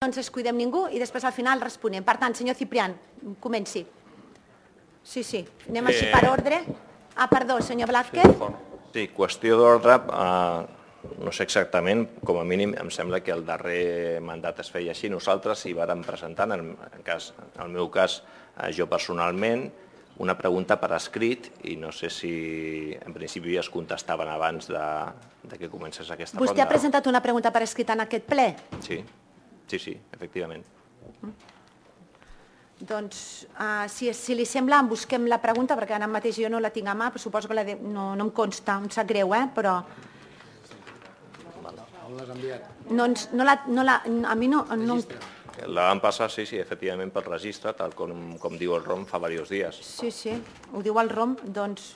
no ens descuidem ningú i després al final responem. Per tant, senyor Ciprián, comenci. Sí, anem així per ordre. Perdó, senyor Blázquez. Sí, qüestió d'ordre, no sé exactament, com a mínim em sembla que el darrer mandat es feia així. Nosaltres hi vàrem presentar, en el meu cas jo personalment, una pregunta per escrit i no sé si en principi es contestaven abans de que comencés aquesta ronda. Vostè ha presentat una pregunta per escrit en aquest ple? Sí, efectivament. Doncs, si li sembla, busquem la pregunta, perquè ara mateix jo no la tinc a mà, però suposo que no em consta, em sap greu, però... On l'has enviat? A mi no... La van passar, sí, efectivament, pel registre, tal com diu el ROM, fa diversos dies. Sí, ho diu el ROM, doncs...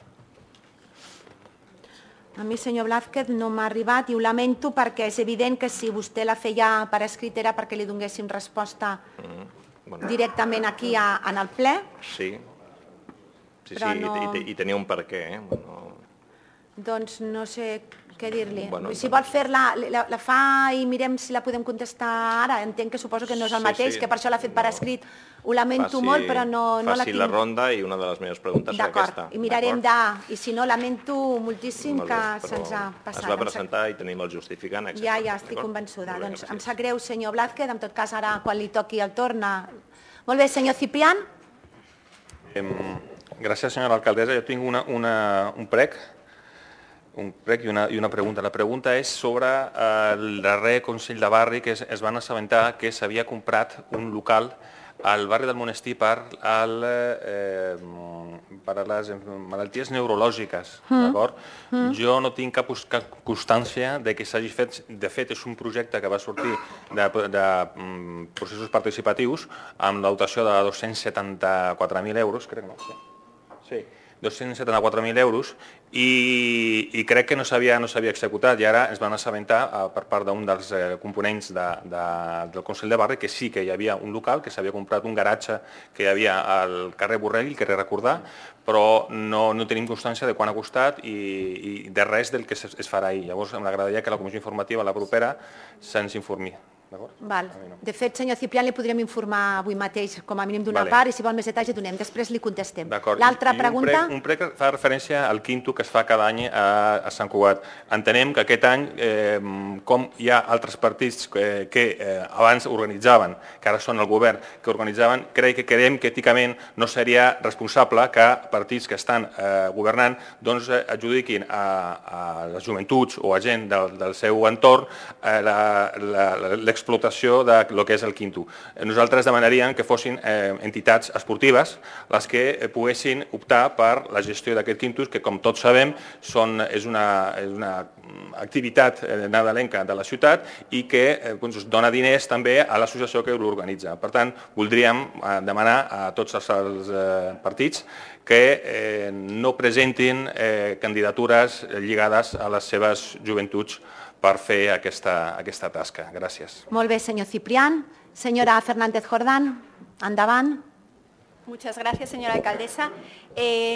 A mi, senyor Blázquez, no m'ha arribat i ho lamento perquè és evident que si vostè la feia per escrit era perquè li donéssim resposta directament aquí en el ple. Sí, i tenia un per què. Doncs no sé què dir-li. Si vol fer-la, la fa i mirem si la podem contestar ara. Entenc que suposo que no és el mateix, que per això l'ha fet per escrit. Ho lamento molt, però no la tinc. Faci la ronda i una de les meves preguntes serà aquesta. D'acord, i mirarem i si no, lamento moltíssim que se'ns ha passat. Es va presentar i tenim el justificant. Ja, estic convençuda. Doncs em sap greu, senyor Blázquez, en tot cas ara quan li toqui el torn. Molt bé, senyor Ciprián. Gràcies, senyora alcaldessa. Jo tinc un prec i una pregunta. La pregunta és sobre el darrer Consell de Barri que es van assabentar que s'havia comprat un local al barri del Monestir per a les malalties neurològiques. Jo no tinc cap constància que s'hagi fet. De fet, és un projecte que va sortir de processos participatius amb la dotació de 274.000 euros, crec, no? Sí. 274.000 euros i crec que no s'havia executat i ara es van assabentar per part d'un dels components del Consell de Barri que sí que hi havia un local, que s'havia comprat un garatge que hi havia al carrer Borrell, el carrer Recordar, però no tenim constància de quan ha costat i de res del que es farà ahir. Llavors m'agradaria que la comissió informativa, la propera, se'ns informi. De fet, senyor Ciprián, li podríem informar avui mateix, com a mínim d'una part, i si vol més detalls ja donem. Després li contestem. L'altra pregunta? Un prec fa referència al quinto que es fa cada any a Sant Cugat. Entenem que aquest any, com hi ha altres partits que abans organitzaven, que ara són el govern, que organitzaven, creiem que èticament no seria responsable que partits que estan governant adjudiquin a les joventuts o a gent del seu entorn l'explotació del que és el quinto. Nosaltres demanaríem que fossin entitats esportives les que poguessin optar per la gestió d'aquest quinto, que com tots sabem és una activitat nadalenca de la ciutat i que dona diners també a l'associació que l'organitza. Per tant, voldríem demanar a tots els partits que no presentin candidatures lligades a les seves joventuts per fer aquesta tasca. Gràcies. Molt bé, senyor Ciprián. Senyora Fernández Jordán, endavant. Muchas gracias, señora alcaldesa.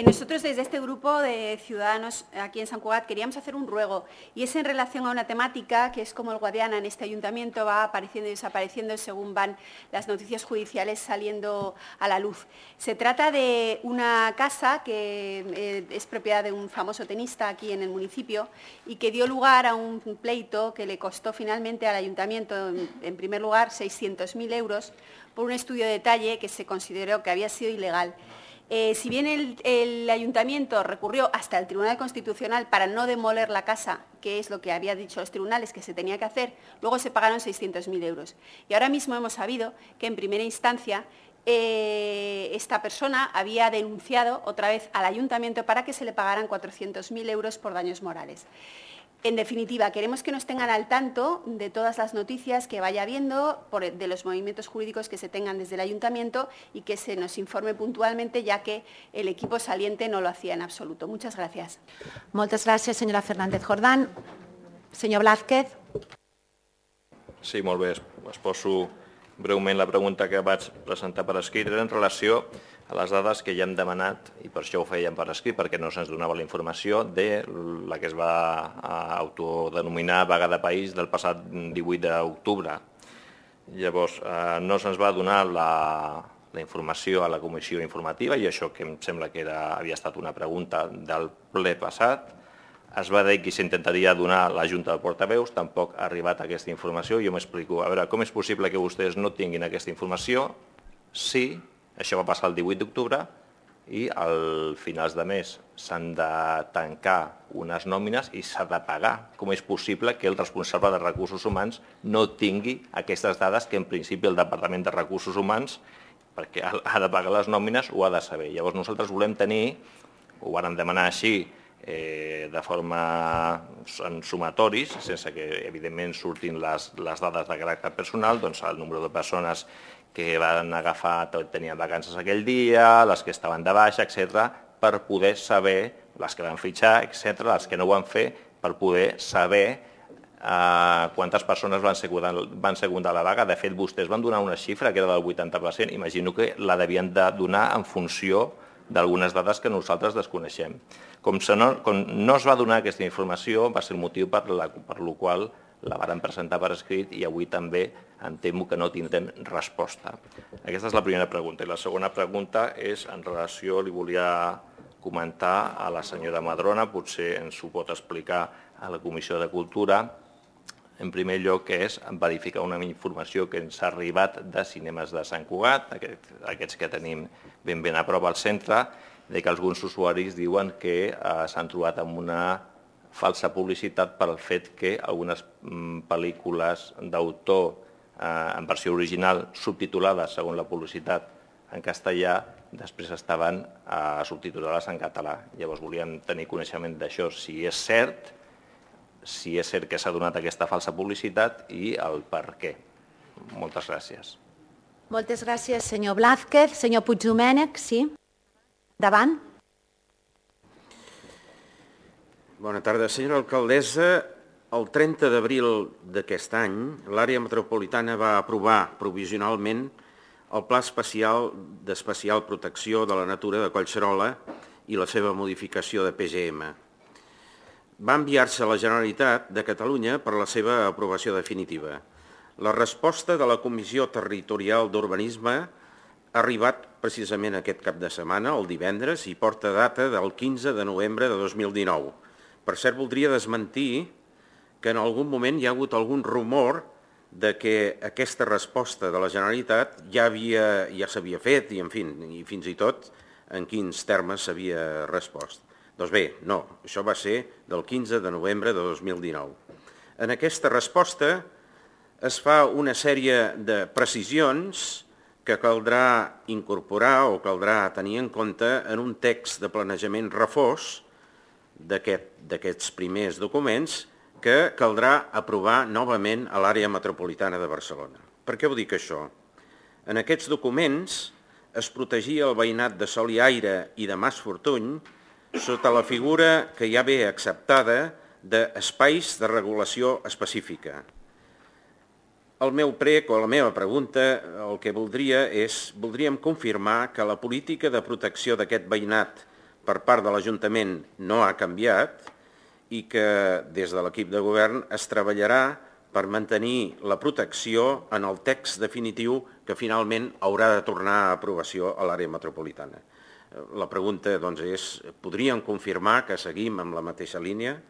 Nosotros desde este grupo de ciudadanos aquí en Sant Cugat queríamos hacer un ruego y es en relación a una temática que es como el Guadiana en este ayuntamiento va apareciendo y desapareciendo según van las noticias judiciales saliendo a la luz. Se trata de una casa que es propiedad de un famoso tenista aquí en el municipio y que dio lugar a un pleito que le costó finalmente al ayuntamiento, en primer lugar, 600.000 euros por un estudio de detalle que se consideró que había sido ilegal. Si bien el ayuntamiento recurrió hasta el Tribunal Constitucional para no demoler la casa, que es lo que había dicho los tribunales que se tenía que hacer, luego se pagaron 600.000 euros. Y ahora mismo hemos sabido que en primera instancia esta persona había denunciado otra vez al ayuntamiento para que se le pagaran 400.000 euros por daños morales. En definitiva, queremos que nos tengan al tanto de todas las noticias que vaya habiendo, de los movimientos jurídicos que se tengan desde el ayuntamiento y que se nos informe puntualmente, ya que el equipo saliente no lo hacía en absoluto. Muchas gracias. Moltes gràcies, senyora Fernández Jordán. Senyor Blázquez. Sí, molt bé. Es poso breument la pregunta que vaig presentar per escrit. Era en relació a les dades que ja hem demanat, i per això ho fèiem per escrit, perquè no se'ns donava la informació de la que es va autodenominar vaga de país del passat 18 d'octubre. Llavors, no se'ns va donar la informació a la comissió informativa, i això que em sembla que havia estat una pregunta del ple passat. Es va dir que s'intentaria donar a la Junta de Portaveus, tampoc ha arribat aquesta informació. Jo m'explico, a veure, com és possible que vostès no tinguin aquesta informació si això va passar el 18 d'octubre i al finals de mes s'han de tancar unes nòmines i s'ha de pagar. Com és possible que el responsable de Recursos Humans no tingui aquestes dades que en principi el Departament de Recursos Humans, perquè ha de pagar les nòmines, ho ha de saber. Llavors nosaltres volem tenir, ho vàrem demanar així, de forma en sumatoris, sense que evidentment surtin les dades de caràcter personal, doncs el número de persones que van agafar, tenien vacances aquell dia, les que estaven de baixa, etc., per poder saber, les que van fitxar, etc., les que no ho van fer, per poder saber quantes persones van secundar la vaga. De fet, vostès van donar una xifra que era del 80%, imagino que la devien de donar en funció d'algunes dades que nosaltres desconeixem. Com no es va donar aquesta informació, va ser el motiu per el qual la varen presentar per escrit i avui també em temo que no tindrem resposta. Aquesta és la primera pregunta. I la segona pregunta és en relació, li volia comentar a la senyora Madrona, potser ens ho pot explicar a la Comissió de Cultura. En primer lloc, que és verificar una informació que ens ha arribat de Cinemes de Sant Cugat, aquests que tenim ben a prop al centre, de que alguns usuaris diuen que s'han trobat amb una falsa publicitat pel fet que algunes pel·lícules d'autor en versió original subtitulades segons la publicitat en castellà després estaven subtitulades en català. Llavors volíem tenir coneixement d'això, si és cert que s'ha donat aquesta falsa publicitat i el per què. Moltes gràcies. Moltes gràcies, senyor Blázquez. Senyor Puigdomènech, sí. Endavant. Bona tarda. Senyora alcaldessa, el 30 d'abril d'aquest any, l'àrea metropolitana va aprovar provisionalment el Pla d'Especial Protecció de la Natura de Collserola i la seva modificació de PGM. Va enviar-se a la Generalitat de Catalunya per la seva aprovació definitiva. La resposta de la Comissió Territorial d'Urbanisme ha arribat precisament aquest cap de setmana, el divendres, i porta data del 15 de novembre de 2019. Per cert, voldria desmentir que en algun moment hi ha hagut algun rumor de que aquesta resposta de la Generalitat ja s'havia fet i fins i tot en quins termes s'havia respost. Doncs bé, no, això va ser del 15 de novembre de 2019. En aquesta resposta es fa una sèrie de precisions que caldrà incorporar o caldrà tenir en compte en un text de planejament refós d'aquests primers documents que caldrà aprovar novament a l'àrea metropolitana de Barcelona. Per què ho dic això? En aquests documents es protegia el veïnat de Sol i Aire i de Mas Fortuny sota la figura que ja ve acceptada d'espais de regulació específica. El meu prec o la meva pregunta, el que voldríem confirmar que la política de protecció d'aquest veïnat per part de l'Ajuntament no ha canviat i que des de l'equip de govern es treballarà per mantenir la protecció en el text definitiu que finalment haurà de tornar a aprovació a l'àrea metropolitana. La pregunta doncs, és, podríem confirmar que seguim amb la mateixa línia?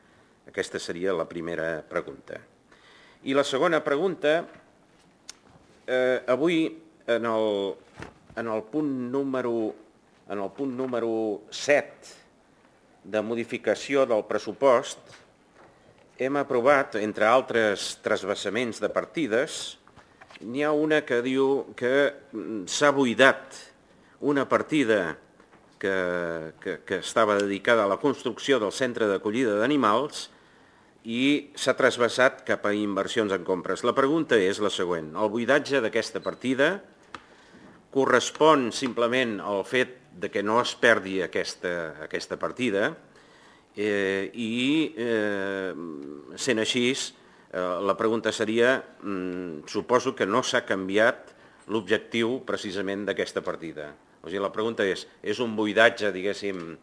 Aquesta seria la primera pregunta. I la segona pregunta, avui en el punt número 7 de modificació del pressupost hem aprovat, entre altres transvasaments de partides, n'hi ha una que diu que s'ha buidat una partida que estava dedicada a la construcció del centre d'acollida d'animals i s'ha trasbassat cap a inversions en compres. La pregunta és la següent. El buidatge d'aquesta partida correspon simplement al fet de que no es perdi aquesta partida i, sent així, la pregunta seria, suposo que no s'ha canviat l'objectiu precisament d'aquesta partida. O sigui, la pregunta és un buidatge, diguéssim,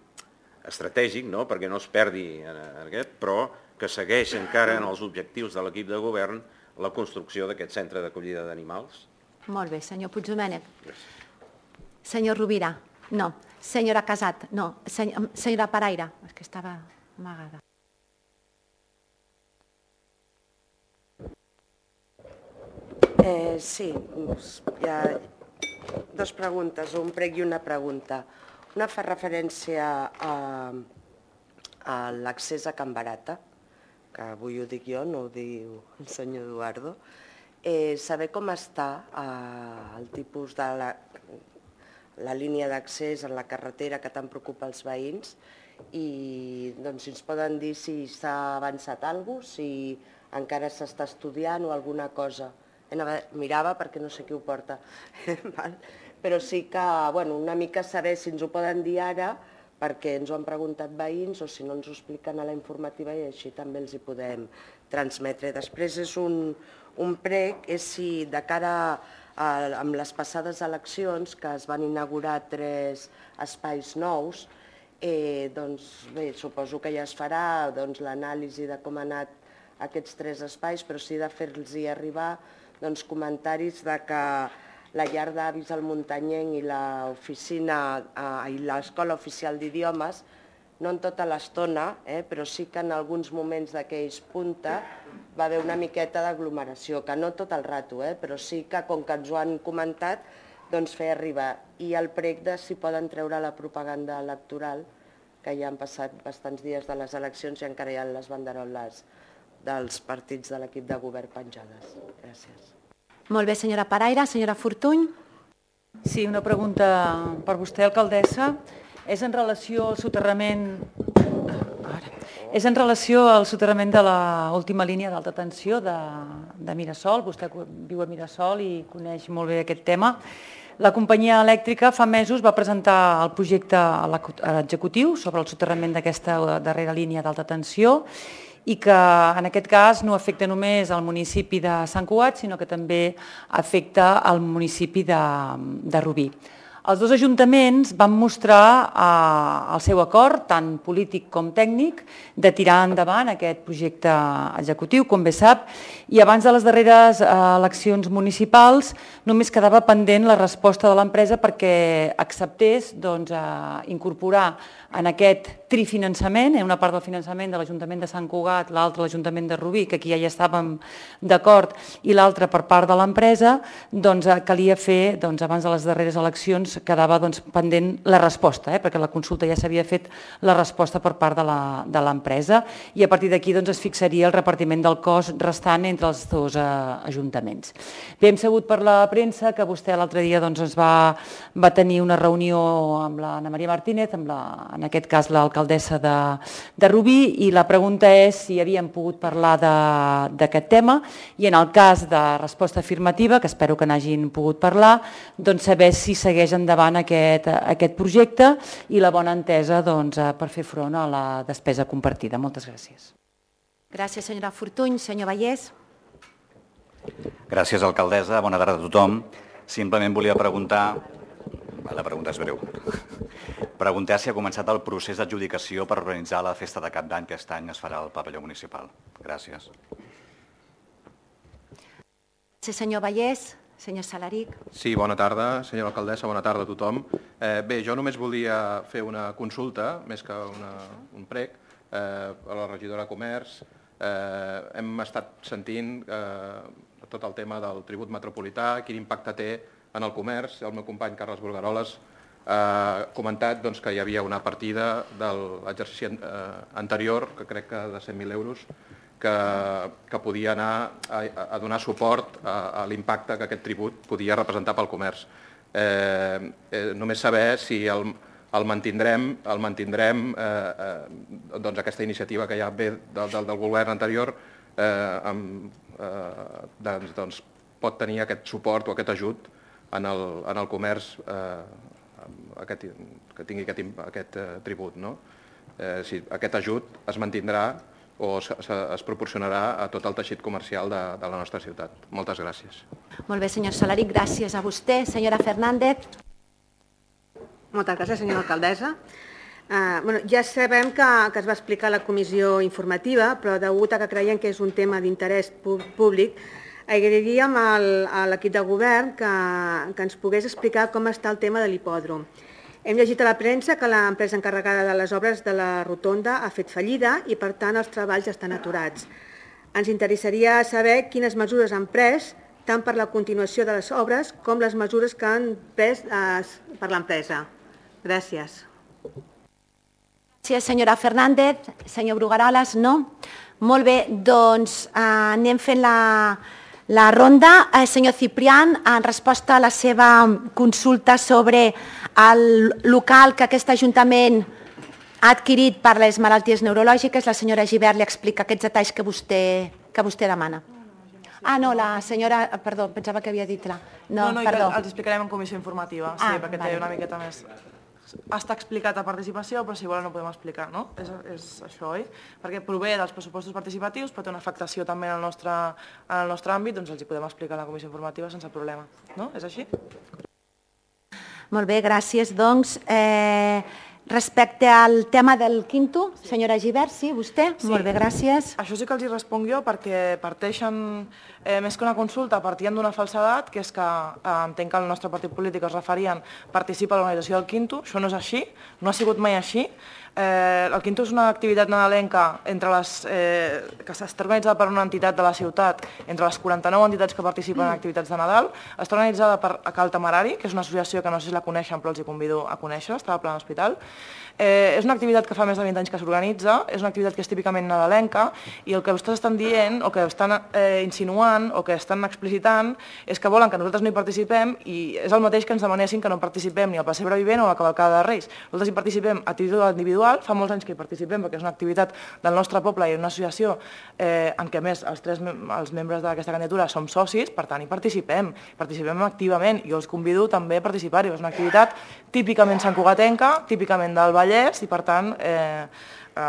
estratègic, no?, perquè no es perdi aquest, però que segueix encara en els objectius de l'equip de govern la construcció d'aquest centre d'acollida d'animals. Molt bé, senyor Puigdomènech. Senyor Rovira, no. Senyora Casat, no. Senyora Paraire, és que estava amagada. Sí, hi ha dues preguntes, un prec i una pregunta. Una fa referència a l'accés a Can Barata, que avui ho dic jo, no ho diu el senyor Eduardo. Saber com està el tipus de la línia d'accés en la carretera que tant preocupa els veïns i si ens poden dir si s'ha avançat alguna cosa, si encara s'està estudiant o alguna cosa. Mirava perquè no sé qui ho porta, però sí que una mica saber si ens ho poden dir ara perquè ens ho han preguntat veïns o si no ens ho expliquen a la informativa i així també els hi podem transmetre. Després és un prec, és si de cara amb les passades eleccions que es van inaugurar 3 espais nous, bé, suposo que ja es farà l'anàlisi de com han anat aquests 3 espais, però sí de fer-los arribar comentaris de que la llar d'avis al Muntanyenc i l'oficina i l'escola oficial d'idiomes, no en tota l'estona, però sí que en alguns moments d'aquells punta va haver una miqueta d'aglomeració, que no tot el rato, però sí que com que ens ho han comentat, fer arribar. I el prec de si poden treure la propaganda electoral, que ja han passat bastants dies de les eleccions i encara hi ha les banderoles dels partits de l'equip de govern penjades. Gràcies. Molt bé, senyora Paraire. Senyora Fortuny. Sí, una pregunta per vostè, alcaldessa. És en relació al soterrament de l'última línia d'alta tensió de Mirasol. Vostè viu a Mirasol i coneix molt bé aquest tema. La companyia elèctrica fa mesos va presentar el projecte a l'executiu sobre el soterrament d'aquesta darrera línia d'alta tensió i que en aquest cas no afecta només al municipi de Sant Cugat, sinó que també afecta al municipi de Rubí. Els 2 ajuntaments van mostrar el seu acord, tant polític com tècnic, de tirar endavant aquest projecte executiu, com bé sap, i abans de les darreres eleccions municipals només quedava pendent la resposta de l'empresa perquè acceptés incorporar en aquest trifinançament, una part del finançament de l'Ajuntament de Sant Cugat, l'altra de l'Ajuntament de Rubí, que aquí ja hi estàvem d'acord, i l'altra per part de l'empresa, calia fer, abans de les darreres eleccions, quedava pendent la resposta, perquè la consulta ja s'havia fet la resposta per part de l'empresa, i a partir d'aquí es fixaria el repartiment del cost restant entre els 2 ajuntaments. Bé, hem sabut per la premsa que vostè l'altre dia ens va tenir una reunió amb l'Anna Maria Martínez, en aquest cas l'alcaldessa de Rubí, i la pregunta és si havíem pogut parlar d'aquest tema i en el cas de resposta afirmativa, que espero que n'hagin pogut parlar, saber si segueix endavant aquest projecte i la bona entesa per fer front a la despesa compartida. Moltes gràcies. Gràcies, senyora Fortuny. Senyor Vallès. Gràcies, alcaldessa. Bona tarda a tothom. Simplement volia preguntar, la pregunta és breu, preguntar si ha començat el procés d'adjudicació per organitzar la festa de Cap d'Any que aquest any es farà al pavelló municipal. Gràcies. Senyor Vallès. Senyor Salaric. Sí, bona tarda, senyora alcaldessa, bona tarda a tothom. Bé, jo només volia fer una consulta, més que un prec, a la regidora de Comerç. Hem estat sentint tot el tema del tribut metropolità, quin impacte té en el comerç. El meu company Carles Bulgaroles ha comentat que hi havia una partida de l'exercici anterior, que crec que de 100.000 euros, que podia anar a donar suport a l'impacte que aquest tribut podia representar pel comerç. Només saber si el mantindrem, aquesta iniciativa que ja ve del govern anterior, pot tenir aquest suport o aquest ajut en el comerç que tingui aquest tribut. Si aquest ajut es mantindrà o es proporcionarà a tot el teixit comercial de la nostra ciutat. Moltes gràcies. Molt bé, senyor Salaric, gràcies a vostè. Senyora Fernández. Moltes gràcies, senyora alcaldessa. Ja sabem que es va explicar a la comissió informativa, però degut a que creiem que és un tema d'interès públic, agrairíem a l'equip de govern que ens pogués explicar com està el tema de l'hipòdrom. Hem llegit a la premsa que l'empresa encarregada de les obres de la rotonda ha fet fallida i, per tant, els treballs estan aturats. Ens interessaria saber quines mesures han pres tant per la continuació de les obres com les mesures que han pres per l'empresa. Gràcies. Gràcies, senyora Fernández. Senyor Brugaroles, no? Molt bé, doncs anem fent la ronda. Senyor Ciprián, en resposta a la seva consulta sobre el local que aquest Ajuntament ha adquirit per les malalties neurològiques, la senyora Gibert li explica aquests detalls que vostè demana. Ah, no, la senyora... Perdó, pensava que havia dit la... No, els explicarem en comissió informativa, sí, perquè té una miqueta més... Està explicat a participació, però si volen no podem explicar, no? És això, oi? Perquè prové dels pressupostos participatius, però té una afectació també en el nostre àmbit, doncs els hi podem explicar a la comissió informativa sense problema, no? És així? Molt bé, gràcies. Doncs, respecte al tema del quinto, senyora Gibert, sí, vostè? Sí. Molt bé, gràcies. Això sí que els hi responc jo, perquè parteixen, més que una consulta, partien d'una falsedat, que és que entenc que el nostre partit polític es referien participa a l'organització del quinto. Això no és així, no ha sigut mai així. El quinto és una activitat nadalenca que està organitzada per una entitat de la ciutat, entre les 49 entitats que participen en activitats de Nadal. Està organitzada per Cal Temerari, que és una associació que no sé si la coneixen, però els hi convido a conèixer, està al Pla d'Hospital. És una activitat que fa més de 20 anys que s'organitza, és una activitat que és típicament nadalenca, i el que vostès estan dient, o que estan insinuant, o que estan explicitant, és que volen que nosaltres no hi participem, i és el mateix que ens demanessin que no participem ni al Pessebre Vivent o a la Cavalcada de Reis. Nosaltres hi participem a títol individual, fa molts anys que hi participem, perquè és una activitat del nostre poble i una associació en què, a més, els membres d'aquesta candidatura som socis, per tant, hi participem activament. Jo els convido també a participar-hi. És una activitat típicament santcugatenca, típicament del Vallès, i per tant,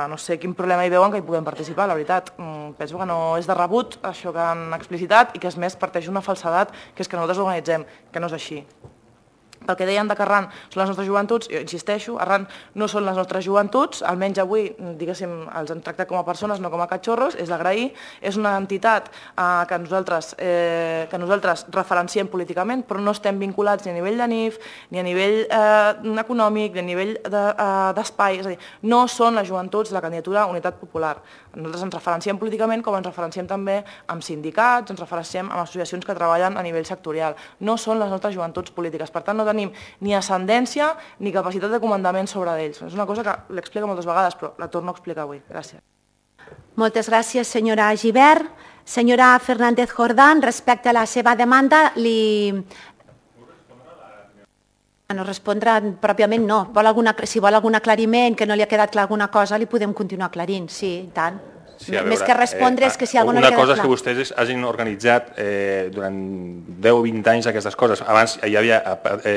no sé quin problema hi veuen que hi puguem participar, la veritat. Penso que no és de rebut això que han explicitat i que, és més, parteix d'una falsedat, que és que nosaltres l'organitzem, que no és així. Pel que deien que Arran són les nostres joventuts, jo insisteixo, Arran no són les nostres joventuts, almenys avui, diguéssim, els hem tractat com a persones, no com a catxorros, és d'agrair. És una entitat que nosaltres referenciem políticament, però no estem vinculats ni a nivell de NIF, ni a nivell econòmic, ni a nivell d'espai, és a dir, no són les joventuts de la candidatura Unitat Popular. Nosaltres ens referenciem políticament com ens referenciem també amb sindicats, ens referenciem amb associacions que treballen a nivell sectorial. No són les nostres joventuts polítiques, per tant no tenim ni ascendència ni capacitat de comandament sobre d'ells. És una cosa que l'explico moltes vegades, però la torno a explicar avui. Gràcies. Moltes gràcies, senyora Gibert. Senyora Fernández Jordán, respecte a la seva demanda, no respondrà pròpiament, no. Si vol algun aclariment, que no li ha quedat clar alguna cosa, li podem continuar aclarint, sí, i tant. Sí, veure, més que respondre és que si alguna no li queda clar. Una cosa és que vostès hagin organitzat durant 10 o 20 anys aquestes coses. Abans hi havia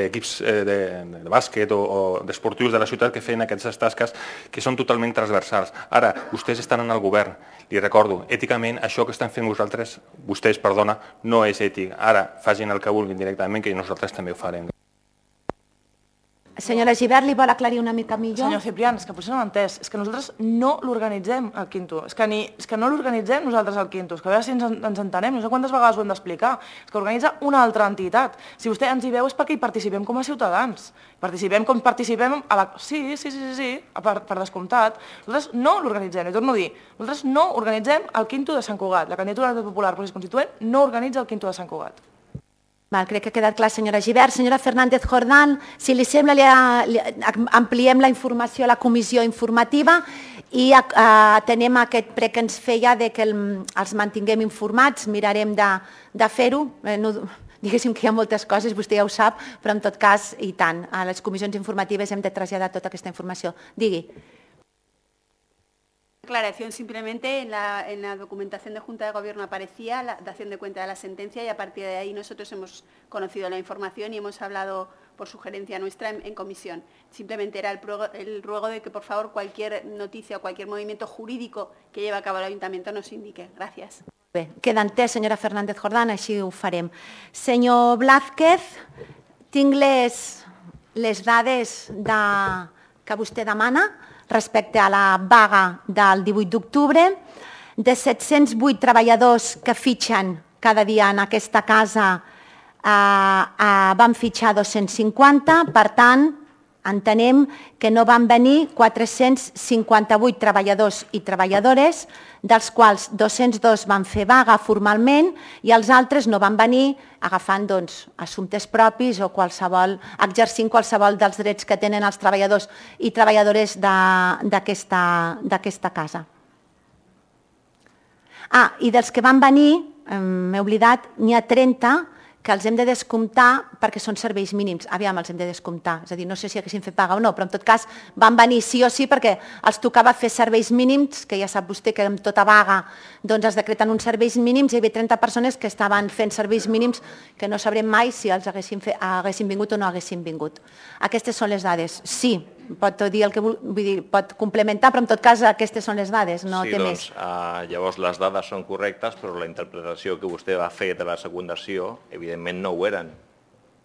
equips de bàsquet o d'esportius de la ciutat que feien aquestes tasques que són totalment transversals. Ara, vostès estan en el govern. Li recordo, èticament, això que estan fent vostès, no és ètic. Ara, facin el que vulguin directament, que nosaltres també ho farem. Senyora Gibert, li vol aclarir una mica millor? Senyor Ciprián, és que potser no l'ha entès. És que nosaltres no l'organitzem, el quinto. És que no l'organitzem nosaltres, el quinto. És que a veure si ens entenem. No sé quantes vegades ho hem d'explicar. És que organitza una altra entitat. Si vostè ens hi veu és perquè hi participem com a ciutadans. Participem com participem a la... Sí, per descomptat. Nosaltres no l'organitzem, li torno a dir. Nosaltres no organitzem el quinto de Sant Cugat. La candidatura popular procés constituent no organitza el quinto de Sant Cugat. Crec que ha quedat clar, senyora Gibert. Senyora Fernández Jordán, si li sembla, ampliem la informació a la comissió informativa i atenem aquest prec que ens feia que els mantinguem informats, mirarem de fer-ho. Diguéssim que hi ha moltes coses, vostè ja ho sap, però en tot cas, i tant, a les comissions informatives hem de traslladar tota aquesta informació. Digui. Aclaración, simplemente en la documentación de Junta de Gobierno aparecía la dación de cuenta de la sentencia y a partir de ahí nosotros hemos conocido la información y hemos hablado por sugerencia nuestra en comisión. Simplemente era el ruego de que por favor cualquier noticia o cualquier movimiento jurídico que lleve a cabo el Ayuntamiento nos indique. Gracias. Bé, queda entès, senyora Fernández Jordán, així ho farem. Senyor Blázquez, tinc les dades que vostè demana respecte a la vaga del 18 d'octubre. De 708 treballadors que fitxen cada dia en aquesta casa van fitxar 250, per tant, entenem que no van venir 458 treballadors i treballadores, dels quals 202 van fer vaga formalment i els altres no van venir agafant assumptes propis o exercint qualsevol dels drets que tenen els treballadors i treballadores d'aquesta casa. I dels que van venir, m'he oblidat, n'hi ha 30 que els hem de descomptar perquè són serveis mínims. Aviam, els hem de descomptar. És a dir, no sé si haguessin fet paga o no, però en tot cas van venir sí o sí perquè els tocava fer serveis mínims, que ja sap vostè que amb tota vaga es decreten uns serveis mínims i hi havia 30 persones que estaven fent serveis mínims que no sabrem mai si els haguessin vingut o no haguessin vingut. Aquestes són les dades. Sí, pot dir el que vull dir, pot complementar, però en tot cas aquestes són les dades, no té més. Sí, doncs llavors les dades són correctes, però la interpretació que vostè va fer de la secundació, evidentment no ho eren.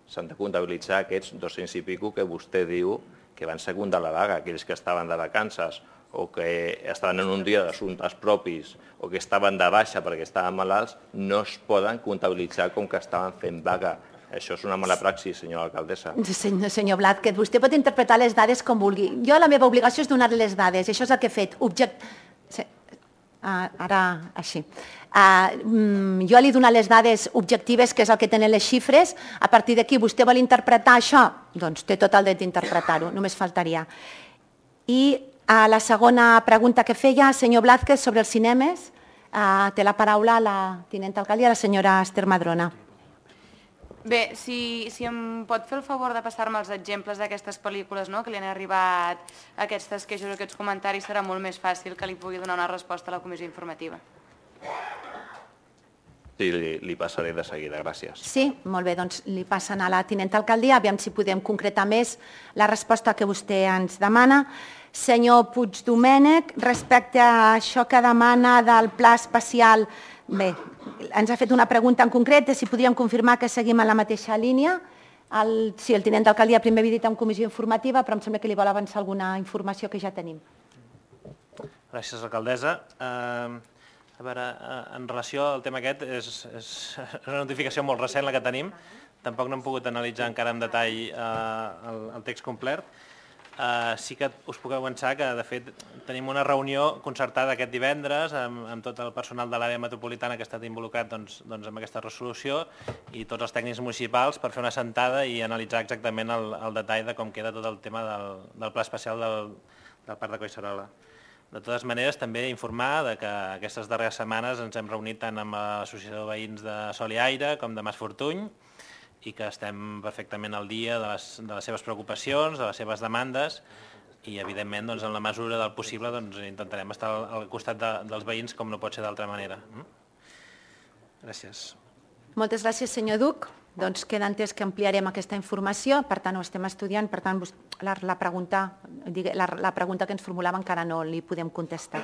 S'han de comptabilitzar aquests 200 i pico que vostè diu que van secundar la vaga, aquells que estaven de vacances o que estaven en un dia d'assumptes propis o que estaven de baixa perquè estaven malalts, no es poden comptabilitzar com que estaven fent vaga. Això és una mala praxis, senyora alcaldessa. Senyor Blázquez, vostè pot interpretar les dades com vulgui. Jo la meva obligació és donar les dades, això és el que he fet. Ara, així. Jo li he donat les dades objectives, que és el que tenen les xifres. A partir d'aquí, vostè vol interpretar això? Doncs té tot el dret d'interpretar-ho, només faltaria. I la segona pregunta que feia, senyor Blázquez, sobre els cinemes, té la paraula la tinenta alcaldia, la senyora Esther Madrona. Bé, si em pot fer el favor de passar-me els exemples d'aquestes pel·lícules que li han arribat aquestes queixes o aquests comentaris, serà molt més fàcil que li pugui donar una resposta a la comissió informativa. Sí, li passaré de seguida, gràcies. Sí, molt bé, doncs li passen a la tinenta alcaldia, aviam si podem concretar més la resposta que vostè ens demana. Senyor Puigdomènech, respecte a això que demana del pla especial, bé, ens ha fet una pregunta en concret de si podríem confirmar que seguim en la mateixa línia. Sí, el tinent d'alcaldia primer havia dit en comissió informativa, però em sembla que li vol avançar alguna informació que ja tenim. Gràcies, alcaldessa. A veure, en relació al tema aquest, és una notificació molt recent la que tenim. Tampoc no hem pogut analitzar encara en detall el text complet. Sí que us puc avançar que, de fet, tenim una reunió concertada aquest divendres amb tot el personal de l'àrea metropolitana que ha estat involucrat en aquesta resolució i tots els tècnics municipals per fer una sentada i analitzar exactament el detall de com queda tot el tema del pla especial del Parc de Collserola. De totes maneres, també informar que aquestes darreres setmanes ens hem reunit tant amb l'Associació de Veïns de Sol i Aire com de Mas Fortuny i que estem perfectament al dia de les seves preocupacions, de les seves demandes i, evidentment, en la mesura del possible intentarem estar al costat dels veïns com no pot ser d'altra manera. Gràcies. Moltes gràcies, senyor Duc. Doncs queda entès que ampliarem aquesta informació, per tant ho estem estudiant, per tant la pregunta que ens formulava encara no li podem contestar.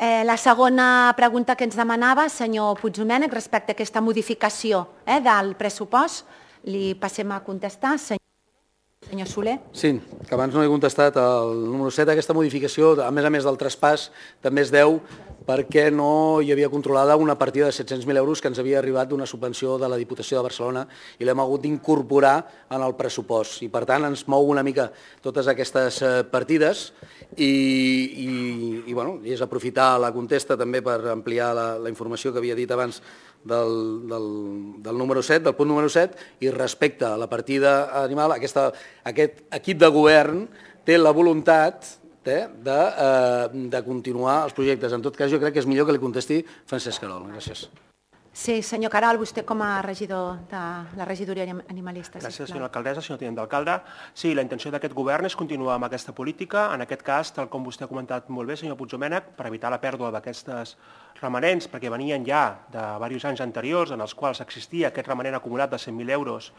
La segona pregunta que ens demanava, senyor Puigdomènech, respecte a aquesta modificació del pressupost, li passem a contestar. Senyor Soler. Sí, que abans no he contestat el número 7. Aquesta modificació, a més del traspàs, també es deu perquè no hi havia controlada una partida de 700.000 euros que ens havia arribat d'una subvenció de la Diputació de Barcelona i l'hem hagut d'incorporar en el pressupost. I, per tant, ens mou una mica totes aquestes partides i és aprofitar la contesta també per ampliar la informació que havia dit abans del número 7, del punt número 7, i respecte a la partida animal, aquest equip de govern té la voluntat de continuar els projectes. En tot cas, jo crec que és millor que li contesti Francesc Querol. Gràcies. Sí, senyor Querol, vostè com a regidor de la regidoria animalista. Gràcies, senyora alcaldessa, senyor tinent d'alcalde. Sí, la intenció d'aquest govern és continuar amb aquesta política. En aquest cas, tal com vostè ha comentat molt bé, senyor Puigdomènech, per evitar la pèrdua d'aquestes remanents, perquè venien ja de diversos anys anteriors en els quals existia aquest remanent acumulat de 100.000 euros,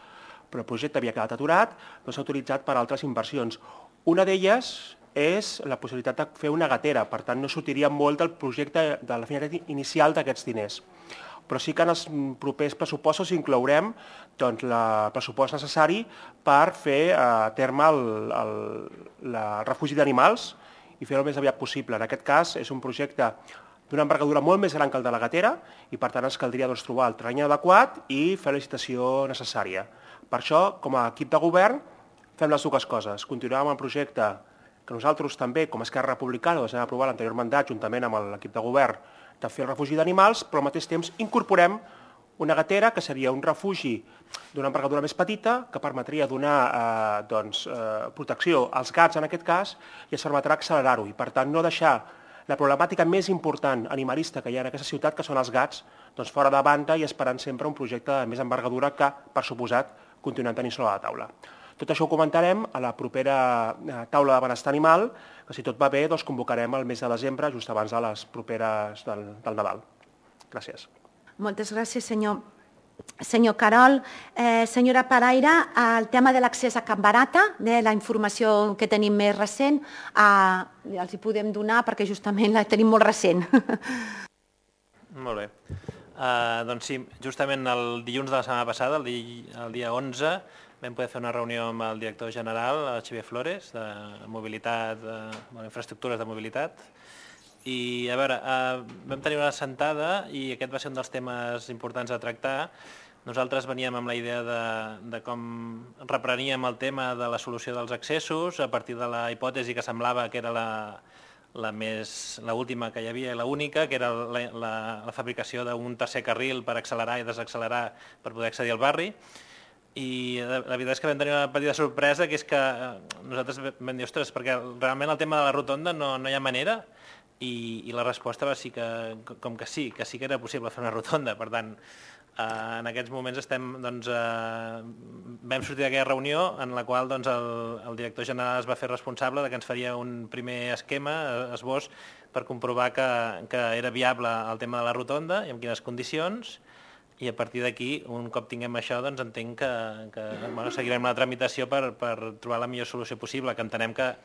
però el projecte havia quedat aturat, no s'ha utilitzat per altres inversions. Una d'elles és la possibilitat de fer una gatera, per tant no sortiria molt del projecte de la finalitat inicial d'aquests diners. Però sí que en els propers pressupostos inclourem el pressupost necessari per fer a terme el refugi d'animals i fer-ho el més aviat possible. En aquest cas és un projecte d'una envergadura molt més gran que el de la Gatera i per tant ens caldria trobar el terreny adequat i fer la licitació necessària. Per això, com a equip de govern, fem les dues coses. Continuem amb el projecte que nosaltres també, com a Esquerra Republicana, vam aprovar l'anterior mandat juntament amb l'equip de govern de fer el refugi d'animals, però al mateix temps incorporem una gatera que seria un refugi d'una envergadura més petita que permetria donar protecció als gats en aquest cas i ens permetrà accelerar-ho i per tant no deixar la problemàtica més important animalista que hi ha en aquesta ciutat, que són els gats, fora de banda i esperant sempre un projecte de més envergadura que, per suposat, continuem tenint sobre la taula. Tot això ho comentarem a la propera taula de benestar animal, que si tot va bé convocarem el mes de desembre, just abans de les properes del Nadal. Gràcies. Moltes gràcies, senyor Carol. Senyora Paraire, el tema de l'accés a Can Barata, de la informació que tenim més recent, els hi podem donar perquè justament la tenim molt recent. Molt bé. Doncs sí, justament el dilluns de la setmana passada, el dia 11, vam poder fer una reunió amb el director general, Xavier Flores, de mobilitat, infraestructures de mobilitat. I, a veure, vam tenir una assentada i aquest va ser un dels temes importants a tractar. Nosaltres veníem amb la idea de com repreníem el tema de la solució dels accessos a partir de la hipòtesi que semblava que era l'última que hi havia i l'única, que era la fabricació d'un tercer carril per accelerar i desaccelerar per poder accedir al barri. I la veritat és que vam tenir una petita sorpresa, que és que nosaltres vam dir, ostres, perquè realment el tema de la rotonda no hi ha manera, i la resposta va ser que sí que era possible fer una rotonda. Per tant, en aquests moments vam sortir d'aquella reunió en la qual el director general es va fer responsable que ens faria un primer esquema, esbós, per comprovar que era viable el tema de la rotonda i en quines condicions, i a partir d'aquí, un cop tinguem això, entenc que seguirem la tramitació per trobar la millor solució possible, que entenem que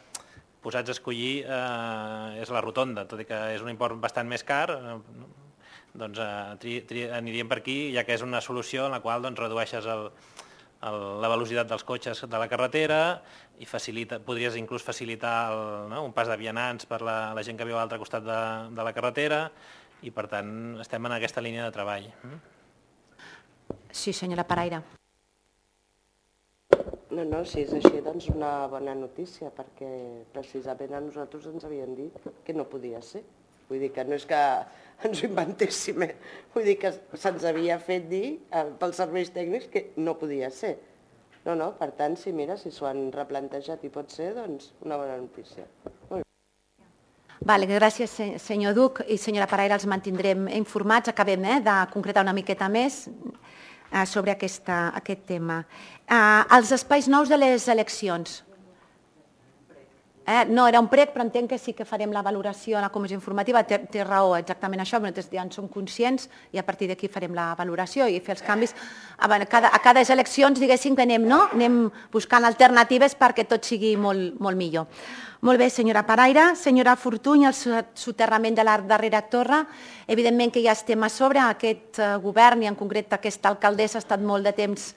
posats a escollir és la rotonda, tot i que és un import bastant més car, doncs aniríem per aquí, ja que és una solució en la qual redueixes la velocitat dels cotxes de la carretera i podries inclús facilitar un pas de vianants per la gent que viu a l'altre costat de la carretera i, per tant, estem en aquesta línia de treball. Sí, senyora Paraire. No, si és així, doncs una bona notícia, perquè precisament a nosaltres ens havien dit que no podia ser. Vull dir que no és que ens ho inventéssim, vull dir que se'ns havia fet dir pels serveis tècnics que no podia ser. No, per tant, si s'ho han replantejat i pot ser, doncs una bona notícia. Molt bé. Gràcies, senyor Duc i senyora Paraire, els mantindrem informats. Acabem de concretar una miqueta més sobre aquest tema. Els espais nous de les eleccions. No era un prec, però entenc que sí que farem la valoració a la comissió informativa. Té raó, exactament això, nosaltres ja en som conscients i a partir d'aquí farem la valoració i fer els canvis. A cada eleccions, diguéssim, que anem buscant alternatives perquè tot sigui molt millor. Molt bé, senyora Paraire. Senyora Fortuny, el soterrament de la darrera torre. Evidentment que ja estem a sobre. Aquest govern i en concret aquesta alcaldessa ha estat molt de temps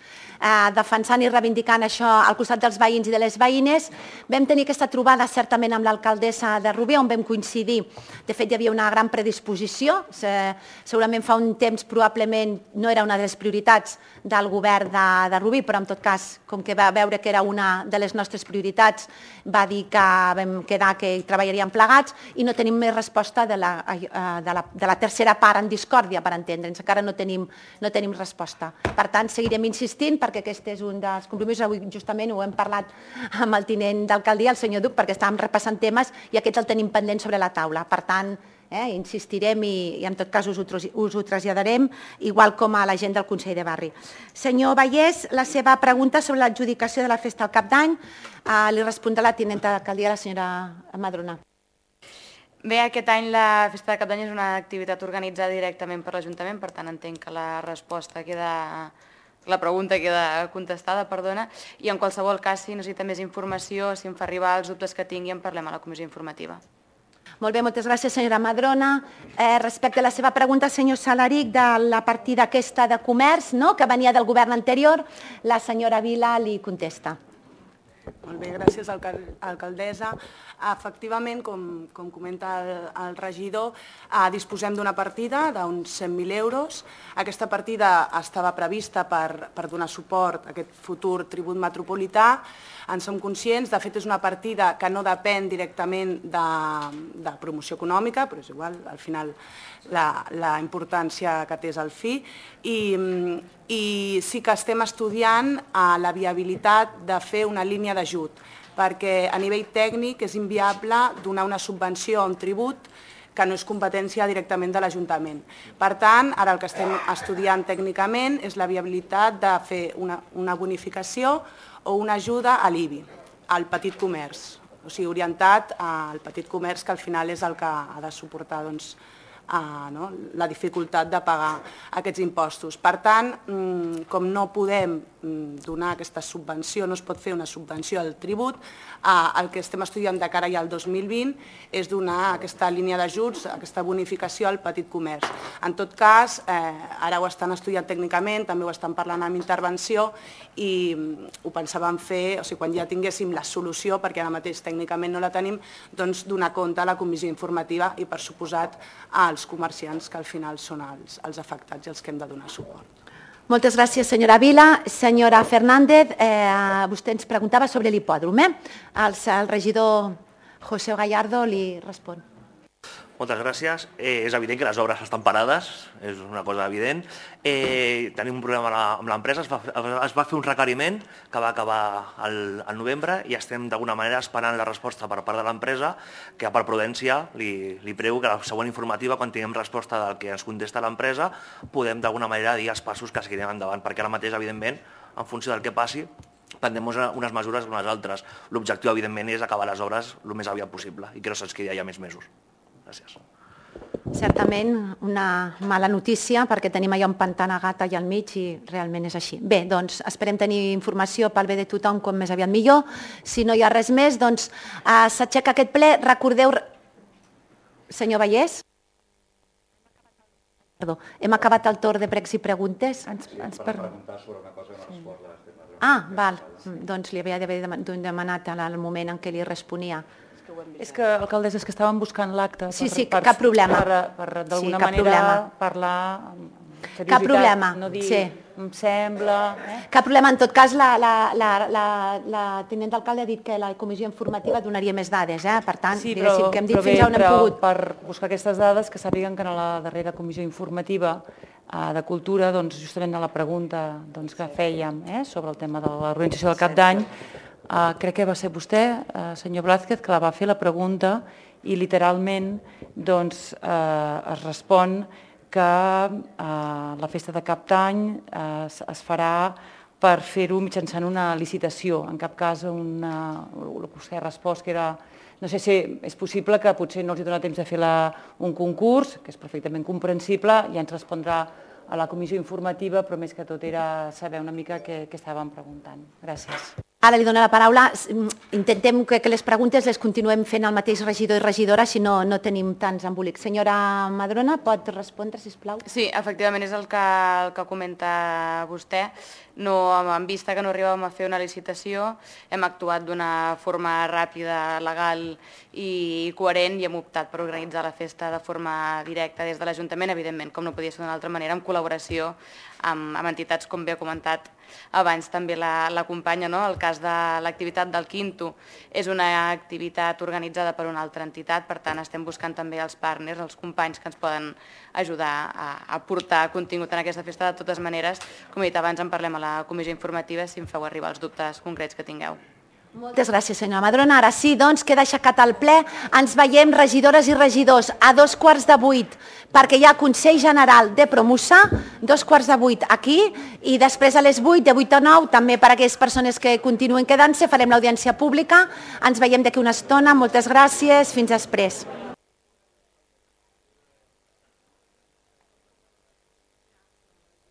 defensant i reivindicant això al costat dels veïns i de les veïnes. Vam tenir aquesta trobada certament amb l'alcaldessa de Rubí, on vam coincidir. De fet, hi havia una gran predisposició. Segurament fa un temps probablement no era una de les prioritats del govern de Rubí, però en tot cas, com que va veure que era una de les nostres prioritats, va dir que vam quedar que hi treballaríem plegats i no tenim més resposta de la tercera part en discòrdia, per entendre'ns. Encara no tenim resposta. Per tant, seguirem insistint perquè aquest és un dels compromisos. Avui justament ho hem parlat amb el tinent d'alcaldia, el senyor Duc, perquè estàvem repassant temes i aquest el tenim pendent sobre la taula. Per tant, insistirem i en tot cas us ho traslladarem, igual com a la gent del Consell de Barri. Senyor Vallès, la seva pregunta sobre l'adjudicació de la festa al Cap d'Any li respondrà la tinenta d'alcaldia, la senyora Madrona. Bé, aquest any la festa de Cap d'Any és una activitat organitzada directament per l'Ajuntament, per tant entenc que la pregunta queda contestada, i en qualsevol cas, si necessita més informació, si em fa arribar els dubtes que tingui, en parlem a la comissió informativa. Molt bé, moltes gràcies, senyora Madrona. Respecte a la seva pregunta, senyor Salaric, de la partida aquesta de comerç, que venia del govern anterior, la senyora Vila li contesta. Molt bé, gràcies, alcaldessa. Efectivament, com comenta el regidor, disposem d'una partida d'uns 100.000 euros. Aquesta partida estava prevista per donar suport a aquest futur tribut metropolità. En som conscients, de fet és una partida que no depèn directament de promoció econòmica, però és igual, al final la importància que té és el fi, i sí que estem estudiant la viabilitat de fer una línia d'ajut, perquè a nivell tècnic és inviable donar una subvenció a un tribut que no és competència directament de l'Ajuntament. Per tant, ara el que estem estudiant tècnicament és la viabilitat de fer una bonificació o una ajuda a l'IBI, al petit comerç, o sigui, orientat al petit comerç, que al final és el que ha de suportar la dificultat de pagar aquests impostos. Per tant, com no podem donar aquesta subvenció, no es pot fer una subvenció al tribut, el que estem estudiant de cara ja al 2020 és donar aquesta línia d'ajuts, aquesta bonificació al petit comerç. En tot cas, ara ho estan estudiant tècnicament, també ho estan parlant amb intervenció i ho pensàvem fer, o sigui, quan ja tinguéssim la solució, perquè ara mateix tècnicament no la tenim, doncs donar compte a la comissió informativa i, per suposat, als comerciants que al final són els afectats i els que hem de donar suport. Moltes gràcies, senyora Vila. Senyora Fernández, vostè ens preguntava sobre l'hipòdrom. El regidor José Gallardo li respon. Moltes gràcies. És evident que les obres estan parades, és una cosa evident. Tenim un problema amb l'empresa, es va fer un requeriment que va acabar al novembre i estem d'alguna manera esperant la resposta per part de l'empresa, que per prudència li prego que a la següent informativa, quan tinguem resposta del que ens contesta l'empresa, podem d'alguna manera dir els passos que seguirem endavant, perquè ara mateix, evidentment, en funció del que passi, prendrem unes mesures o unes altres. L'objectiu, evidentment, és acabar les obres el més aviat possible i que no se'ns quedi allà més mesos. Gràcies. Certament una mala notícia perquè tenim allà un pantà negat allà al mig i realment és així. Bé, doncs esperem tenir informació pel bé de tothom com més aviat millor. Si no hi ha res més, doncs s'aixeca aquest ple. Recordeu... Senyor Vallès? Perdó, hem acabat el torn de pregs i preguntes. Per preguntar sobre una cosa que no respon l'Esteve. Val. Doncs li havia d'haver demanat al moment en què li responia. És que, alcaldessa, és que estàvem buscant l'acte. Sí, cap problema. Per d'alguna manera parlar amb seriositat. Cap problema, no dir, sí. Em sembla... Cap problema. En tot cas, la tinent d'alcalde ha dit que la comissió informativa donaria més dades. Per tant, diguéssim que hem dit fins on hem pogut. Per buscar aquestes dades, que sàpiguen que en la darrera comissió informativa de Cultura, justament a la pregunta que fèiem sobre el tema de l'organització del Cap d'Any, crec que va ser vostè, senyor Blázquez, que la va fer la pregunta i literalment es respon que la festa de Cap d'Any es farà per fer-ho mitjançant una licitació. En cap cas, el que vostè ha respost que era... No sé si és possible que potser no els dona temps de fer un concurs, que és perfectament comprensible, ja ens respondrà a la comissió informativa, però més que tot era saber una mica què estàvem preguntant. Gràcies. Ara li dono la paraula. Intentem que les preguntes les continuem fent el mateix regidor i regidora, si no tenim tants embolics. Senyora Madrona, pot respondre, sisplau? Sí, efectivament, és el que comenta vostè. En vista que no arribàvem a fer una licitació, hem actuat d'una forma ràpida, legal i coherent i hem optat per organitzar la festa de forma directa des de l'Ajuntament, evidentment, com no podia ser d'una altra manera, en col·laboració amb entitats, com bé ha comentat abans també la companya. El cas de l'activitat del Quinto és una activitat organitzada per una altra entitat, per tant estem buscant també els partners, els companys que ens poden ajudar a portar contingut en aquesta festa. De totes maneres, com he dit abans, en parlem a la comissió informativa si em feu arribar els dubtes concrets que tingueu. Moltes gràcies, senyora Madrona. Ara sí, doncs, queda aixecat el ple. Ens veiem, regidores i regidors, a 7:15, perquè hi ha Consell General de Promusa, 7:15 aquí, i després a les 8, de 8 a 9, també per a aquelles persones que continuen quedant-se, farem l'audiència pública. Ens veiem d'aquí una estona. Moltes gràcies. Fins després.